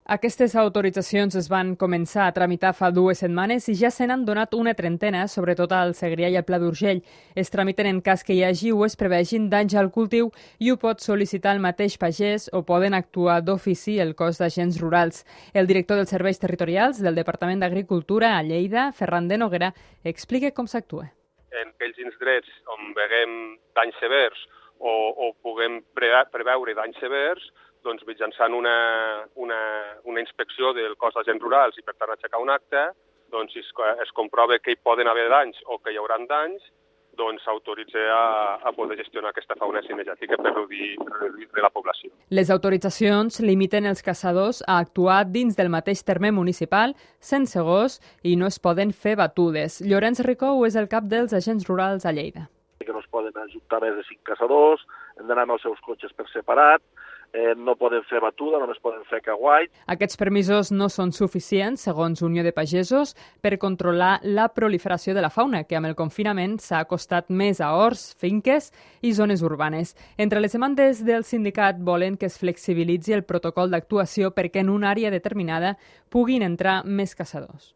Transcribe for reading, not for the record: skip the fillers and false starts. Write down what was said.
Aquestes autoritzacions es van començar a tramitar fa 2 setmanes i ja se n'han donat una trentena, sobretot al Segrià i al Pla d'Urgell. Es tramiten en cas que hi hagi o es prevegin danys al cultiu i ho pot sol·licitar el mateix pagès o poden actuar d'ofici el cos d'agents rurals. El director dels serveis territorials del Departament d'Agricultura a Lleida, Ferran de Noguera, explica com s'actua. En aquells indrets on veiem danys severs o puguem preveure danys severs, doncs mitjançant una inspecció del cos d'agents rurals i per tant aixecar un acte, doncs si es comprova que hi poden haver danys o que hi haurà danys, doncs s'autoritza a poder gestionar aquesta fauna cinegètica per reduir la població. Les autoritzacions limiten els caçadors a actuar dins del mateix terme municipal, sense gos, i no es poden fer batudes. Llorenç Ricou és el cap dels agents rurals a Lleida. Que no es poden ajuntar més de 5 caçadors, hem d'anar amb els seus cotxes per separat, no poden fer batuda, només poden fer caguait. Aquests permisos no són suficients, segons Unió de Pagesos, per controlar la proliferació de la fauna, que amb el confinament s'ha acostat més a horts, finques i zones urbanes. Entre les demandes del sindicat volen que es flexibilitzi el protocol d'actuació perquè en una àrea determinada puguin entrar més caçadors.